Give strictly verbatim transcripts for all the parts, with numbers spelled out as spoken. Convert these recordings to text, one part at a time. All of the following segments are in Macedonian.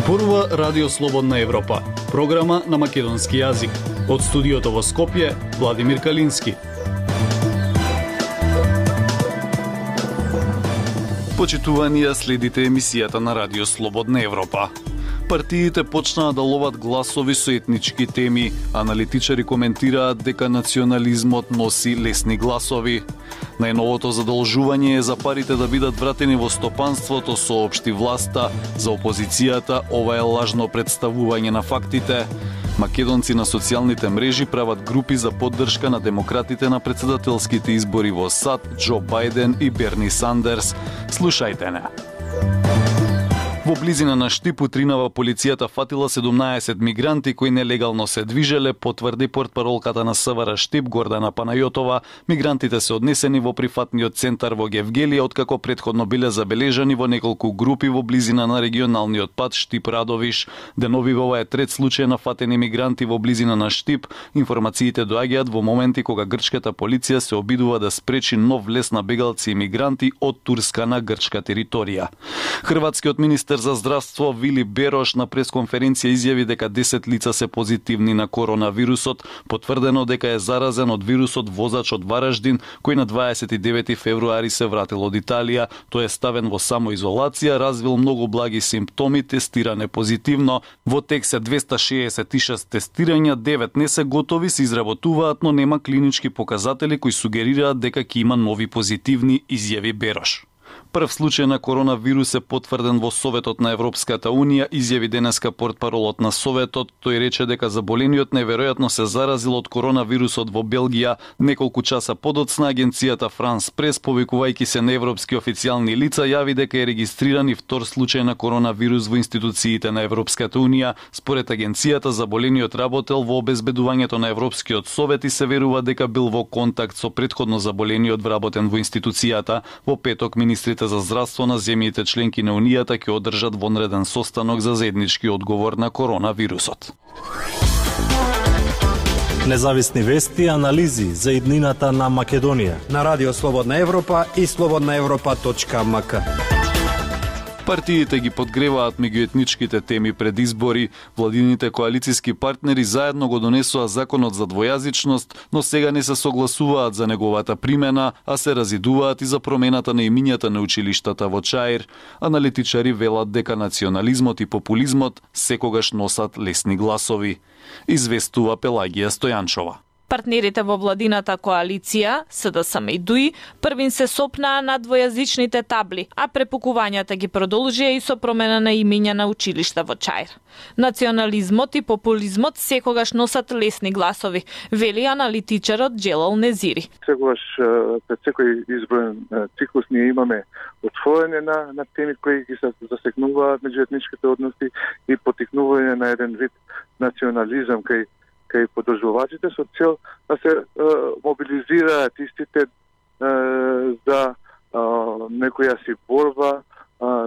Зборува Радио Слободна Европа, програма на македонски јазик. Од студиото во Скопје, Владимир Калински. Почитуванија, следите емисијата на Радио Слободна Европа. Партиите почнаа да ловат гласови со етнички теми. Аналитичари коментираат дека национализмот носи лесни гласови. Најновото задолжување е за парите да бидат вратени во стопанството, соопшти власта. За опозицијата ова е лажно представување на фактите. Македонци на социјалните мрежи прават групи за поддршка на демократите на председателските избори во САД, Џо Бајден и Берни Сандерс. Слушајте не. Во близина на Штип утринава полицијата фатила седумнаесет мигранти кои нелегално се движеле, потврди портпаролката на СВР Штип Гордана Панајотова. Мигрантите се однесени во прифатниот центар во Гевгелија, откако претходно биле забележани во неколку групи во близина на регионалниот пат Штип-Радовиш. Деновива ова е трет случај на фатени мигранти во близина на Штип. Информациите доаѓаат во моменти кога грчката полиција се обидува да спречи нов влез на бегалци и мигранти од турска на грчка територија. Хрватскиот министер за здравство Вили Берош на пресконференција изјави дека десет лица се позитивни на коронавирусот, потврдено дека е заразен од вирусот возач од Вараждин, кој на дваесет и девети февруари се вратил од Италија. Тој е ставен во самоизолација, развил многу благи симптоми, тестиран е позитивно. Во тек се двесте шеесет и шест тестирања, девет не се готови, се изработуваат, но нема клинички показатели кои сугерираат дека ќе има нови позитивни, изјави Берош. Прв случај на коронавирус е потврден во Советот на Европската Унија, изјави денеска портпаролот на Советот. Тој рече дека заболениот неверојатно се заразил од коронавирусот во Белгија. Неколку часа подоцна агенцијата Франс Прес, повикувајќи се на европски официјални лица, јави дека е регистриран и втор случај на коронавирус во институциите на Европската Унија. Според агенцијата, заболениот работел во обезбедувањето на Европскиот совет и се верува дека бил во контакт со претходно заболениот вработен во институцијата. Во петок министрите за здравство на земјите членки на Унијата ќе одржат вонреден состанок за заеднички одговор на коронавирусот. Независни вести и анализи за иднината на Македонија на Радио Слободна Европа и слободна европа точка ем ка. Партиите ги подгреваат меѓуетничките теми пред избори. Владините коалициски партнери заедно го донесоа законот за двојазичност, но сега не се согласуваат за неговата примена, а се разидуваат и за промената на имињата на училиштата во Чаир. Аналитичари велат дека национализмот и популизмот секогаш носат лесни гласови. Известува Пелагија Стојанчова. Партнерите во владината коалиција, СДСМ и ДУИ, првин се сопнаа на двојазичните табли, а препукувањата ги продолжија и со промена на имиња на училишта во Чаир. Национализмот и популизмот секогаш носат лесни гласови, вели аналитичарот Джелал Незири. Секогаш пред секој изборен циклус ние имаме отворање на, на теми кои ги се засегнуваат меѓуетничките односи и потикнување на еден вид национализам кај кај подржувачите со цел да се е, мобилизираат истите е, за е, некоја си борба е,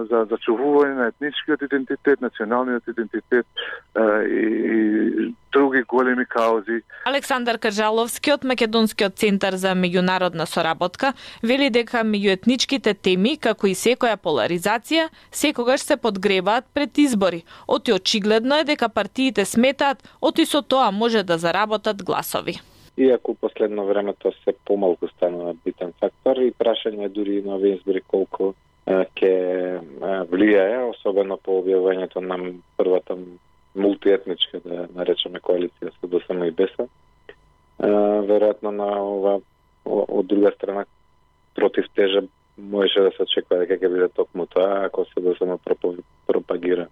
за зачувување на етничкиот идентитет, националниот идентитет е, и, и други големи каузи. Александар Кажаловски од Македонскиот центар за меѓународна соработка вели дека меѓуетничките теми, како и секоја поларизација, секогаш се подгреваат пред избори. Оти очигледно е дека партиите сметаат оти со тоа може да заработат гласови. Иако последно време тоа се помалку станува битен фактор и прашање дури на овие избори колку ќе влијае, особено по објавувањето на првата мултиетничка, да наречеме коалиција со ДСМ и БЕСА. Веројатно на ова од друга страна против тежа можеше да се очекува дека ќе биде токму тоа, ако се ДСМ пропагира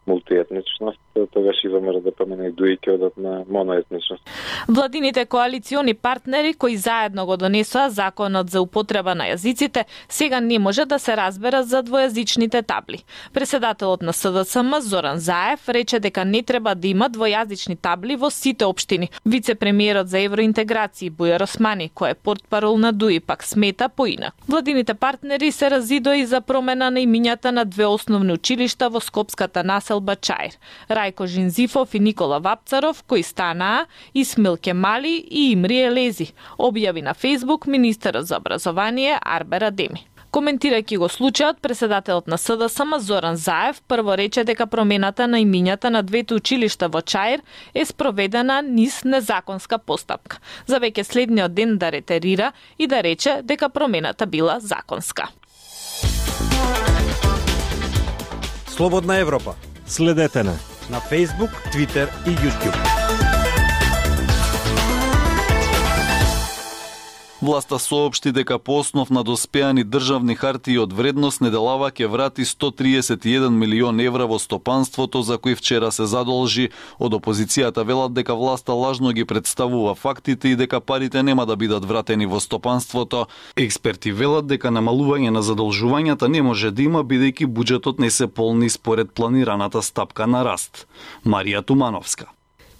мултиетничност, тогаш и ВМРО да помине и ДУИ ќе одат на моноетничност. Владините коалициони партнери кои заедно го донесоа законот за употреба на јазиците, сега не може да се разберат за двојазичните табли. Председателот на СДСМ Зоран Заев рече дека не треба да има двојазични табли во сите општини. Вице-премиерот за евроинтеграција Бујар Османи, кој е портпарол на ДУИ, пак смета поинак. Владините партнери се разидоа и за промена на имињата на две основни училишта во скопската населба Чаир. Рајко Жинзифов и Никола Вапцаров, кои станаа Исмил Кемали и Имрие Лези, објави на Фејсбук министерот за образование Арбер Адеми. Коментирајќи го случајот, председателот на СДСМ Зоран Заев прво рече дека промената на имињата на двете училишта во Чаир е спроведена низ незаконска постапка. За веќе следниот ден да ретерира и да рече дека промената била законска. Слободна Европа. Следете на На Facebook, Twitter и YouTube. Власта соопшти дека по основ на доспеани државни хартии од вредност неделава ќе врати сто триесет и еден милион евра во стопанството за кои вчера се задолжи. Од опозицијата велат дека власта лажно ги представува фактите и дека парите нема да бидат вратени во стопанството. Експерти велат дека намалување на задолжувањата не може да има бидејќи буџетот не се полни според планираната стапка на раст. Марија Тумановска.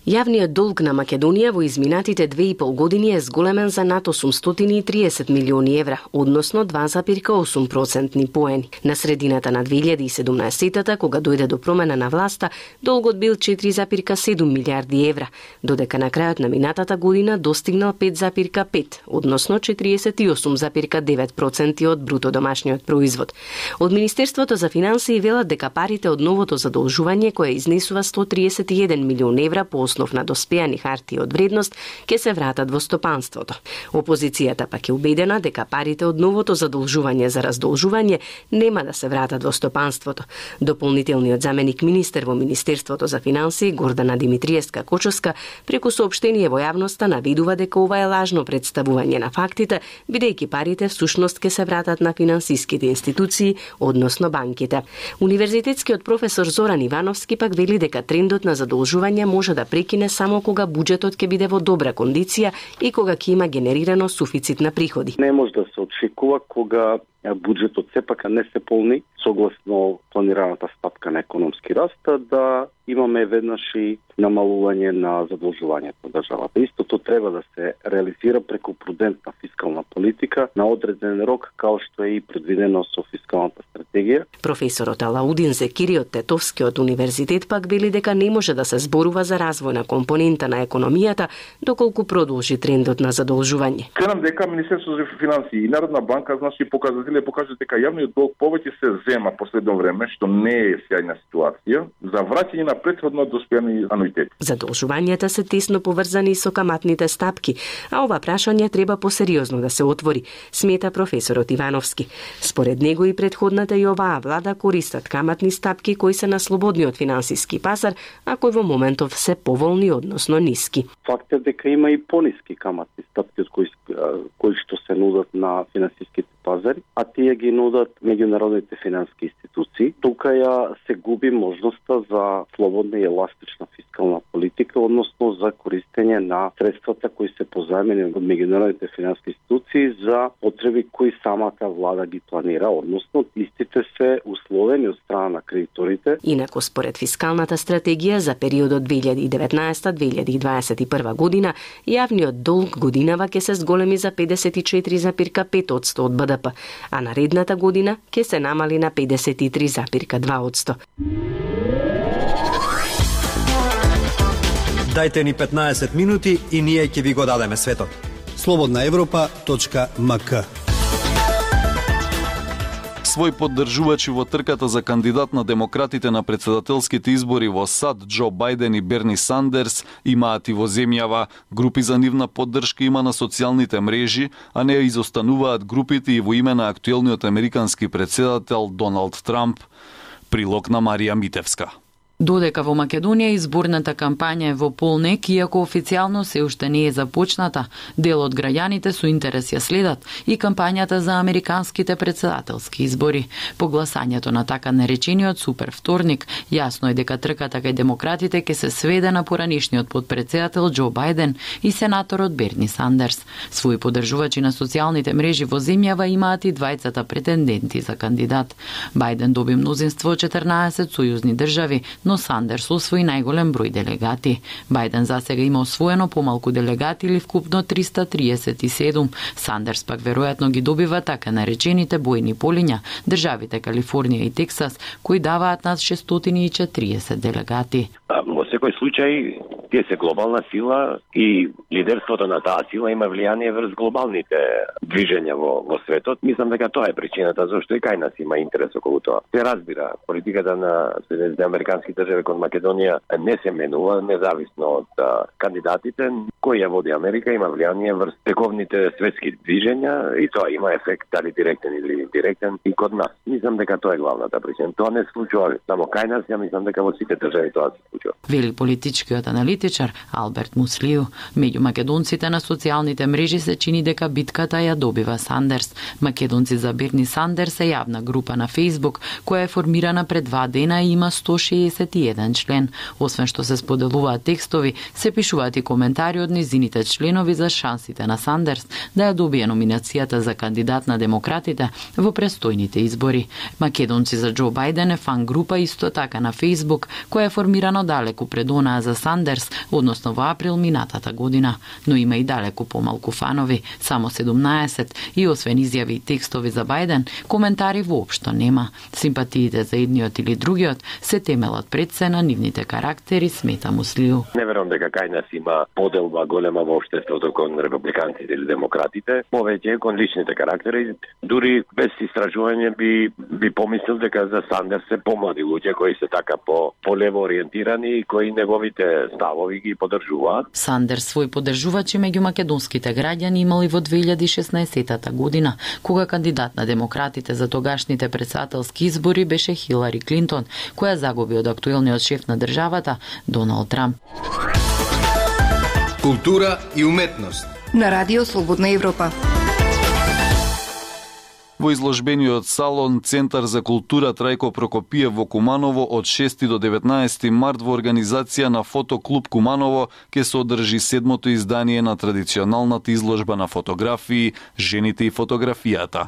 Јавниот долг на Македонија во изминатите две и пол години е зголемен за над осумстотини и триесет милиони евра, односно два зарез осум процентни поени. На средината на две илјади и седумнаесетата, кога дојде до промена на власта, долгот бил четири зарез седум милијарди евра, додека на крајот на минатата година достигнал пет зарез пет, односно четириесет и осум зарез девет проценти од бруто домашниот производ. Од Министерството за финансии велат дека парите од новото задолжување кое изнесува сто триесет и еден милион евра по основ на доспеани хартии од вредност ќе се вратат во стопанството. Опозицијата пак е убедена дека парите од новото задолжување за раздолжување нема да се вратат во стопанството. Дополнителниот заменик министер во Министерството за финансии Гордана Димитриевска Кочовска преку соопштение во јавноста наведува дека ова е лажно представување на фактите, бидејќи парите всушност ќе се вратат на финансиските институции, односно банките. Универзитетскиот професор Зоран Ивановски пак вели дека трендот на задолжување може да прекине само кога буџетот ќе биде во добра кондиција и кога ќе има генерирано суфицит на приходи. Не може да се очекува кога буџетот сепак не се полни согласно планираната стапка на економски раст, да имаме веднаш и намалување на задолжувањето на државата. Истото треба да се реализира преку прудентна фискална политика на одреден рок, као што е и предвидено со фискалната стратегија. Професорот Алаудин Зекири од Тетовскиот универзитет пак вели дека не може да се зборува за развојна компонента на економијата доколку продолжи трендот на задолжување. Кренам дека Министерството за финансии и Народна банка значи показатели покажат дека јавниот долг повеќе се зема последно време, што не е сјајна ситуација за враќање на претходно доспеани ануитети. Задолжувањата се тесно поврзани со каматните стапки, а ова прашање треба посериозно да се отвори, смета професорот Ивановски. Според него и претходната и оваа влада користат каматни стапки кои се на слободниот финансиски пазар, а кои во моментов се поволни, односно ниски. Факт е дека има и пониски каматни стапки од кои, кои што се нудат на финансиските пазари, а тие ги нудат меѓународните финансиски институции. Тука ја се губи можноста за слободна и еластична фискална политика, односно за користење на средствата кои се позајмени од меѓународните финансиски институции за потреби кои самата влада ги планира, односно истите се условени од страна на кредиторите. Инаку според фискалната стратегија за периодот две илјади и деветнаесета до две илјади и дваесет и прва година, јавниот долг годинава ќе се зголеми за педесет и четири зарез пет одсто од Б Д П, а наредната година ќе се намали на педесет и три зарез два одсто. Дајте ни петнаесет минути и ние ќе ви го дадеме светот. слободна европа точка м к. Свој поддржувачи во трката за кандидат на демократите на председателските избори во САД Џо Бајден и Берни Сандерс имаат и во земјава. Групи за нивна поддршка има на социјалните мрежи, а не изостануваат групите и во име на актуелниот американски председател Доналд Трамп. Прилог на Марија Митевска. Додека во Македонија изборната кампања е во полнек, иако официјално се уште не е започната, дел од граѓаните со интерес ја следат и кампањата за американските председателски избори. По гласањето на така наречениот супер вторник, јасно е дека трката кај демократите ќе се сведе на поранишниот подпредседател Џо Бајден и сенаторот Берни Сандерс. Свои поддржувачи на социјалните мрежи во земјава имаат и двајцата претенденти за кандидат. Бајден доби мнозинство од четрнаесет сојузни држави, но Сандерс освои најголем број делегати. Бајден засега има освоено помалку делегати или вкупно триста триесет и седум. Сандерс пак веројатно ги добива така наречените бојни полиња, државите Калифорнија и Тексас, кои даваат над шестстотини и четириесет делегати. Um, секој случај тие се глобална сила и лидерството на таа сила има влијание врз глобалните движења во, во светот. Мислам дека тоа е причината зашто и кај нас има интерес околу тоа. Се разбира, политиката на Соединетите американски држави кон Македонија не се менува независно од а, кандидатите. Кој ја води Америка има влијание врз тековните светски движења и тоа има ефект дали директен или индиректен и код нас. Мислам дека тоа е главната причина. Тоа не се случува само кај нас, ја мислам дека во сите држави тоа се случува. Вели политичкиот аналитичар Алберт Муслију. Меѓу македонците на социјалните мрежи се чини дека битката ја добива Сандерс. Македонци за Берни Сандерс е јавна група на Facebook која е формирана пред два дена и има сто шеесет и еден член. Освен што се споделуваат текстови, се пишуваат и коментари од низините членови за шансите на Сандерс да ја добие номинацијата за кандидат на демократите во престојните избори. Македонци за Џо Бајден е фан група исто така на Facebook која е формирана далеку пред онаа за Сандерс, односно во април минатата година, но има и далеку помалку фанови, само седумнаесет, и освен изјави и текстови за Бајден, коментари воопшто нема. Симпатиите за едниот или другиот се темелат пред се на нивните карактери, смета Муслију. Не верувам дека кај нас има поделба голема во општеството кон републиканците или демократите, повеќе кон личните карактери. Дури без истражување би би помислил дека за Сандерс се помлади луѓе кои се така по полево ориентирани и кои неговите ставови ги поддржуваат. Сандерс свој поддржувачи меѓу македонските граѓани имал и во две илјади и шеснаесетта година, кога кандидат на демократите за тогашните претседателски избори беше Хилари Клинтон, која загуби од актуелниот шеф на државата Доналд Трамп. Култура и уметност на Радио Слободна Европа. Во изложбениот салон Центар за култура Трајко Прокопиев во Куманово од шести до деветнаесети март во организација на Фотоклуб Куманово ќе се одржи седмото издание на традиционалната изложба на фотографии "Жените и фотографијата".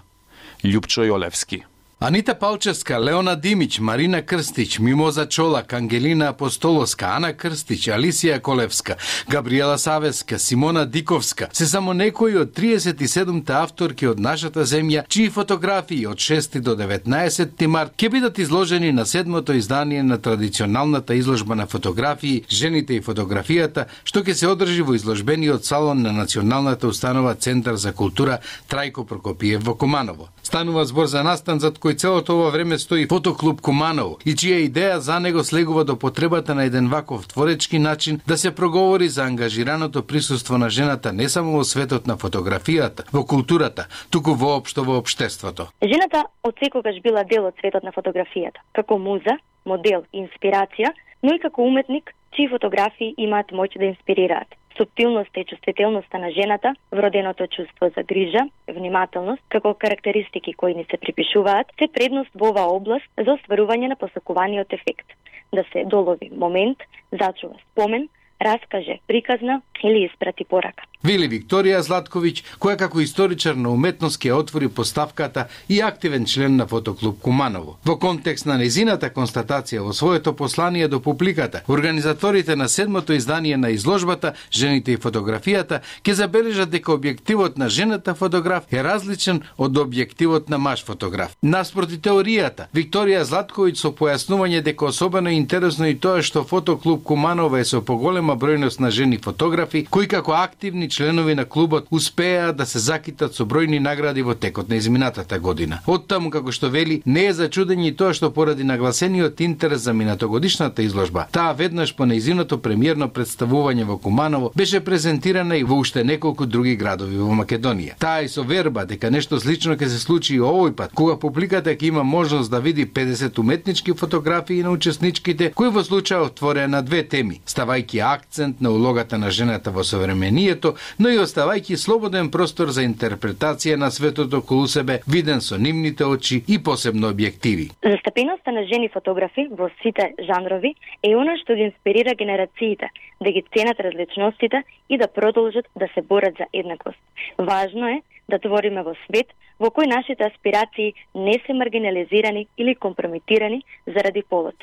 Љупчо Јолевски. Анита Палчевска, Леона Димич, Марина Крстич, Мимоза Чолак, Ангелина Апостоловска, Ана Крстич, Алисија Колевска, Габриела Савеска, Симона Диковска се само некои од триесет и седумте авторки од нашата земја, чии фотографии од шести до деветнаесети март ќе бидат изложени на седмото издание на традиционалната изложба на фотографии "Жените и фотографијата", што ќе се одржи во изложбениот салон на Националната установа Центар за култура Трајко Прокопиев во Куманово. Станува збор за настан зад кој целото ова време стои Фотоклуб Куманово и чија идеја за него слегува до потребата на еден ваков творечки начин да се проговори за ангажираното присуство на жената не само во светот на фотографијата, во културата, туку воопшто во општеството. Жената од секогаш била дел од светот на фотографијата, како муза, модел и инспирација, но и како уметник, чии фотографии имаат моќ да инспирираат. Суптилноста и чувствителноста на жената, вроденото чувство за грижа, внимателност, како карактеристики кои ни се припишуваат, се предност во оваа област за остварување на посакуваниот ефект. Да се долови момент, зачува спомен, раскаже приказна или испрати порака. Вели Викторија Златковиќ, која како историчар на уметност ќе отвори поставката и активен член на Фотоклуб Куманово. Во контекст на незината констатација во своето послание до публиката, организаторите на седмото издание на изложбата "Жените и фотографијата" ќе забележат дека објективот на жената фотограф е различен од објективот на маж фотограф. Наспроти теоријата, Викторија Златковиќ со појаснување дека особено интересно и тоа што Фотоклуб Куманово е со поголема бројност на жени фотографи, кои како активни членови на клубот успеа да се закитат со бројни награди во текот на изминатата година. Оттаму, како што вели, не е за чудење и тоа што поради нагласениот интерес за минатогодишната изложба, таа веднаш по нејзиното премиерно представување во Куманово беше презентирана и во уште неколку други градови во Македонија. Таа и со верба дека нешто слично ќе се случи и овој пат, кога публиката ќе има можност да види педесет уметнички фотографии на учесничките, кои во случај отворија на две теми, ставајќи акцент на улогата на жената во современието, но и оставајќи слободен простор за интерпретација на светот околу себе, виден со нивните очи и посебно објективи. Застапеноста на жени фотографи во сите жанрови е она што ги инспирира генерациите да ги ценат различностите и да продолжат да се борат за еднаквост. Важно е да твориме во свет во кој нашите аспирации не се маргинализирани или компрометирани заради полот.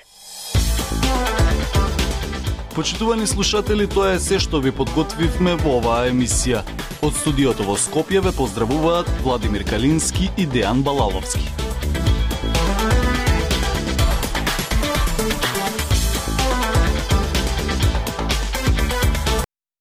Почитувани слушатели, тоа е се што ви подготвивме во оваа емисија. Од студиото во Скопје ве поздравуваат Владимир Калински и Дејан Балаловски.